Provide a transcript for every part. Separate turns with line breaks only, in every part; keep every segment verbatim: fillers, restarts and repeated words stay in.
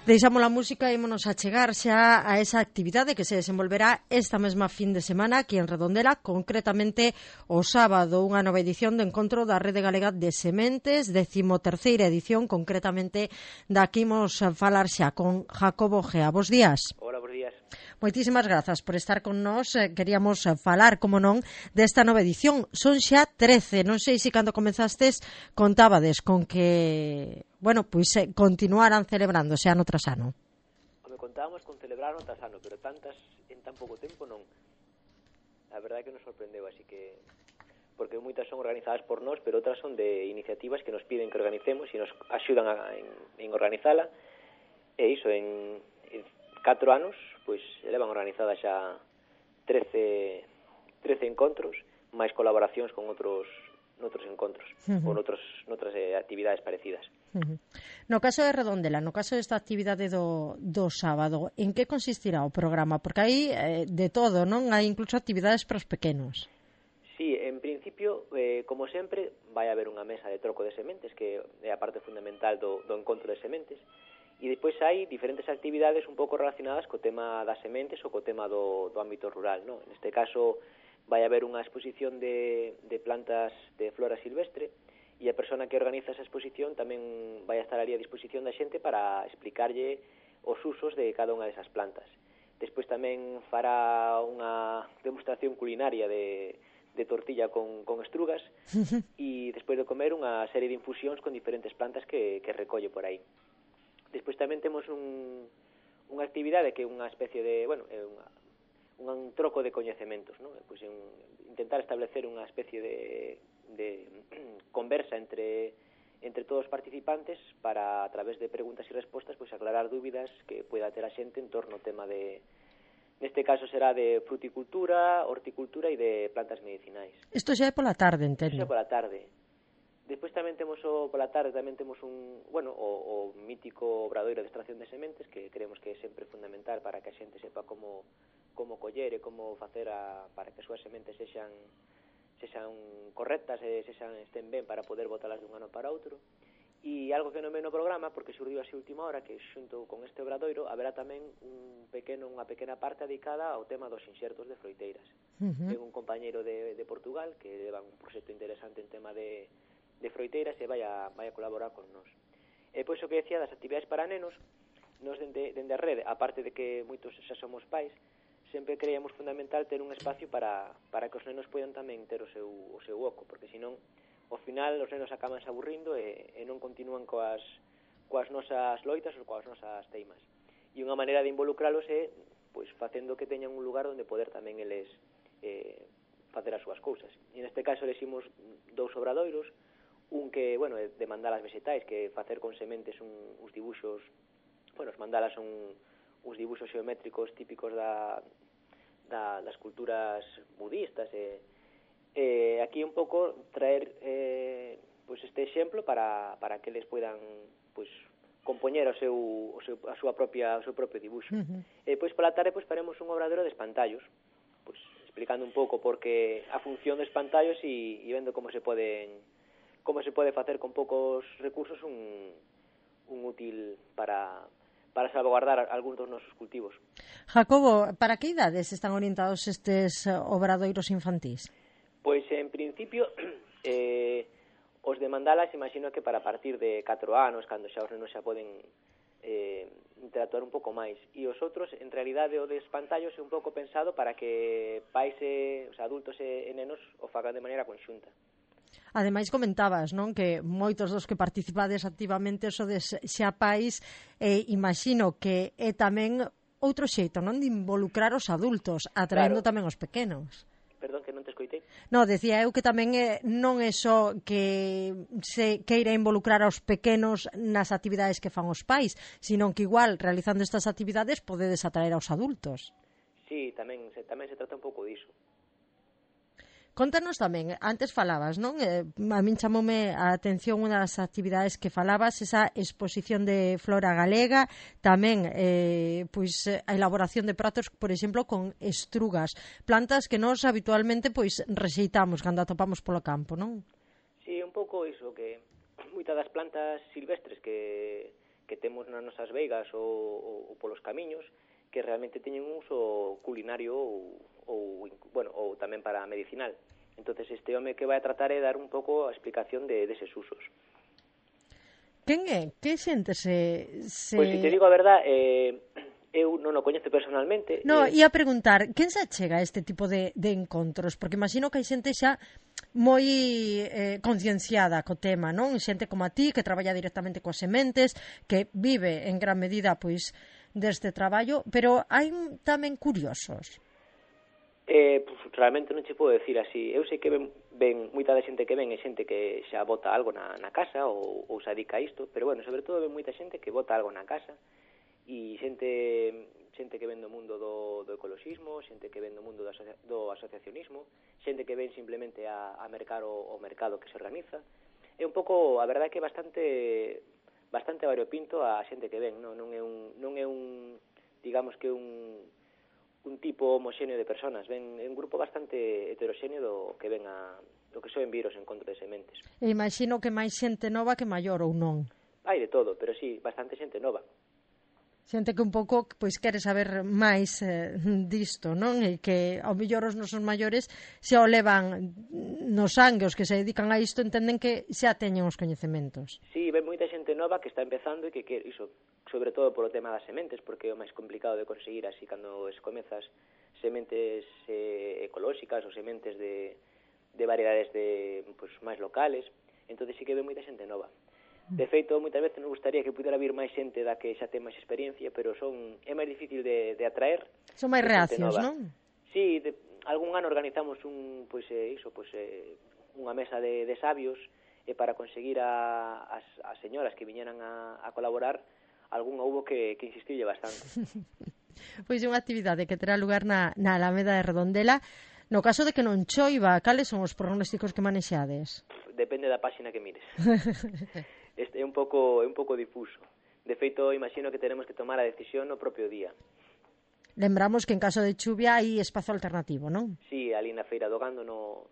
Deixamos a música e ímonos a chegar xa a esa actividade que se desenvolverá esta mesma fin de semana aquí en Redondela, concretamente o sábado, unha nova edición do encontro da Rede Galega de Sementes, decimoterceira edición, concretamente daqui imos falar xa con Jacobo Gea. Bos días.
Hola, bos días.
Moitísimas grazas por estar con nós. Queríamos falar, como non, desta nova edición. Son xa trece, non sei se cando comezastes contábades con que, bueno, pois eh, continuaran celebrándose ano tras ano.
Me contábamos con celebrar ano tras ano, pero tantas en tan pouco tempo non. A verdade é que nos sorprendeu, así que porque moitas son organizadas por nós, pero outras son de iniciativas que nos piden que organicemos e nos axudan a, en, en organizala. E iso, en, en catro anos, pois levan organizadas xa trece, trece encontros, máis colaboracións con outros noutros encontros, uh-huh. ou noutros, noutras eh, actividades parecidas.
Uh-huh. No caso de Redondela, no caso desta actividade do, do sábado, en que consistirá o programa? Porque hai eh, de todo, non? Hai incluso actividades para os pequenos.
Sí, en principio, eh, como sempre, vai haber unha mesa de troco de sementes, que é a parte fundamental do, do encontro de sementes, e depois hai diferentes actividades un pouco relacionadas co tema das sementes ou co tema do, do ámbito rural, non? Neste caso, vai haber unha exposición de, de plantas de flora silvestre e a persona que organiza esa exposición tamén vai a estar ali a disposición da xente para explicarlle os usos de cada unha desas plantas. Despois tamén fará unha demostración culinaria de, de tortilla con, con estrugas e despois de comer unha serie de infusións con diferentes plantas que, que recolle por aí. Despois tamén temos un, unha actividade que é unha especie de, bueno, é unha un troco de coñecementos, ¿no? Pues un, intentar establecer unha especie de, de conversa entre entre todos os participantes para, a través de preguntas e respostas, pues aclarar dúbidas que pueda ter a xente en torno ao tema de, neste caso será de fruticultura, horticultura e de plantas medicinais.
Isto xa é pola tarde, entendo.
Isto é pola tarde. Despois tamén temos o, pola tarde tamén temos un, bueno, o, o mítico obradoiro de extracción de sementes, que creemos que é sempre fundamental para que a xente sepa como como coller e como facer a, para que as súas sementes sexan sexan correctas e sexan estén ben para poder botalas dun ano para outro. E algo que non ve no programa, porque surdiu así última hora, que xunto con este obradoiro haberá tamén un pequeno, unha pequena parte dedicada ao tema dos inxertos de froiteiras. Uh-huh. Ten un compañeiro de, de Portugal que leva un proxecto interesante en tema de, de froiteiras e vai a, vai a colaborar con nós. E pois o que decía das actividades para nenos, nos dende, dende a rede, aparte de que moitos xa somos pais, sempre creíamos fundamental ter un espacio para, para que os nenos poidan tamén ter o seu, o seu oco, porque senón, ao final, os nenos acaban se aburrindo e, e non continúan coas, coas nosas loitas ou coas nosas teimas. E unha maneira de involucralos é pois, facendo que teñan un lugar onde poder tamén eles eh, facer as súas cousas. E neste caso elegimos dous obradoiros, un que, bueno, é de mandalas vegetais, que facer con sementes un, uns dibuxos, bueno, os mandalas son uns dibuxos geométricos típicos da, da, das culturas budistas e, e aquí un pouco traer eh, pues este exemplo para, para que eles poidan pues, compoñer o seu, o seu, a súa propia, o seu propio dibuxo. Uh-huh. E depois pola tarde pues, faremos un obradoiro de espantallos, pues, explicando un pouco porque a función dos espantallos e, e vendo como se poden como se pode facer con poucos recursos un, un útil para para salvaguardar algúns dos nosos cultivos.
Jacobo, para que idades están orientados estes obradoiros infantís?
Pois, en principio, eh, os de mandalas, imagino que para partir de catro anos, cando xa os nenos xa poden eh, interactuar un pouco máis. E os outros, en realidade, o de espantallos é un pouco pensado para que pais e os adultos e nenos o fagan de maneira conxunta.
Ademais comentabas, non, que moitos dos que participades activamente sodes xa pais, e imagino que é tamén outro xeito, non, de involucrar os adultos, atraendo claro. Tamén os pequenos.
Perdón, que non te escoitei.
No, decía eu que tamén é, non é só que se queira involucrar aos pequenos nas actividades que fan os pais, sino que igual, realizando estas actividades, podedes atraer aos adultos.
Sí, tamén se, tamén se trata un pouco diso.
Contanos tamén, antes falabas, non? Eh, a min chamoume a atención unha das actividades que falabas, esa exposición de flora galega, tamén eh, pois a elaboración de pratos, por exemplo, con estrugas, plantas que nós habitualmente pois rexeitamos cando atopamos polo campo, non?
Sí, un pouco iso, que moitas das plantas silvestres que que temos nas nosas veigas ou, ou, ou polos camiños que realmente teñen un uso culinario ou, ou, bueno, ou tamén para medicinal. Entonces este home que vai a tratar é dar un pouco a explicación de deses usos.
Quen é? Que xente se... se...
Pois, se te digo a verdad, eh, eu non o coñezo personalmente.
No,
eh...
ia preguntar, quen se achega a este tipo de, de encontros? Porque imagino que hai xente xa moi eh, concienciada co tema, non? Xente como a ti, que traballa directamente coas sementes, que vive en gran medida, pois, deste traballo, pero hai tamén curiosos.
Eh, pues, realmente non che podo decir así. Eu sei que ven, ven moita da xente que ven é xente que xa bota algo na, na casa ou, ou se dedica a isto, pero bueno, sobre todo ven moita xente que bota algo na casa e xente xente que ven do mundo do, do ecoloxismo, xente que ven do mundo do, asocia, do asociacionismo, xente que ven simplemente a, a mercar o, o mercado que se organiza. É un pouco, a verdade que é bastante bastante variopinto a xente que ven, non, non é un non é un digamos que un un tipo homoxéneo de personas, ven un grupo bastante heteroxéneo do que ven a do que soen vir os encontros de sementes.
E imagino que máis xente nova que maior ou non?
Hai de todo, pero sí, bastante xente nova.
Xente que un pouco pois quere saber máis eh, disto, non? E que ao mellor os nosos maiores se o levan no sangue, os que se dedican a isto entenden que xa teñen os coñecementos.
Sí, ven moita xente nova que está empezando e que quere iso, sobre todo polo tema das sementes, porque é o máis complicado de conseguir así cando es comezas sementes eh, ecolóxicas ou sementes de, de variedades de pues, máis locales, entón sí que ven moita xente nova. De feito, moitas veces nos gustaría que pudera vir máis xente da que xa ten máis experiencia, pero son é máis difícil de, de atraer.
Son máis reacios, non?
Sí, de, algún ano organizamos un, pois, eh, iso, pois, eh, unha mesa de, de sabios e para conseguir a, as, as señoras que viñeran a, a colaborar, algún houbo que, que insistille bastante.
Pois é unha actividade que terá lugar na, na Alameda de Redondela. No caso de que non choiva, cales son os pronósticos que manexades?
Depende da páxina que mires. Este é un pouco é un pouco difuso. De feito, imagino que teremos que tomar a decisión no propio día.
Lembramos que en caso de chuvia hai espazo alternativo, non?
Sí, ali na Feira do Gando no,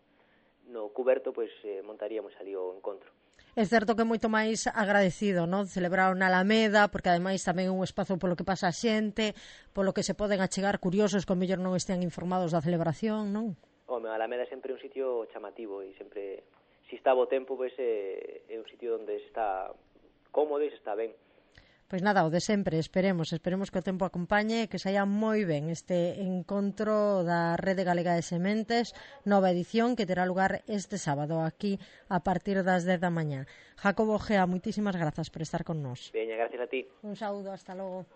no cuberto, pois eh, montaríamos ali o encontro.
É certo que é moito máis agradecido, non? Celebrar na Alameda, porque ademais tamén é un espazo polo que pasa a xente, polo que se poden achegar curiosos que ao mellor non estean informados da celebración, non?
Home, a Alameda é sempre un sitio chamativo e sempre, se está bo tempo, pois é, é un sitio onde se está cómodo e se está ben.
Pois nada, o de sempre, esperemos, esperemos que o tempo acompañe, que saia moi ben este encontro da Rede Galega de Sementes, nova edición que terá lugar este sábado aquí a partir das dez da mañá. Jacobo Gea, moitísimas grazas por estar con nós.
Veña, gracias a ti.
Un saúdo, hasta logo.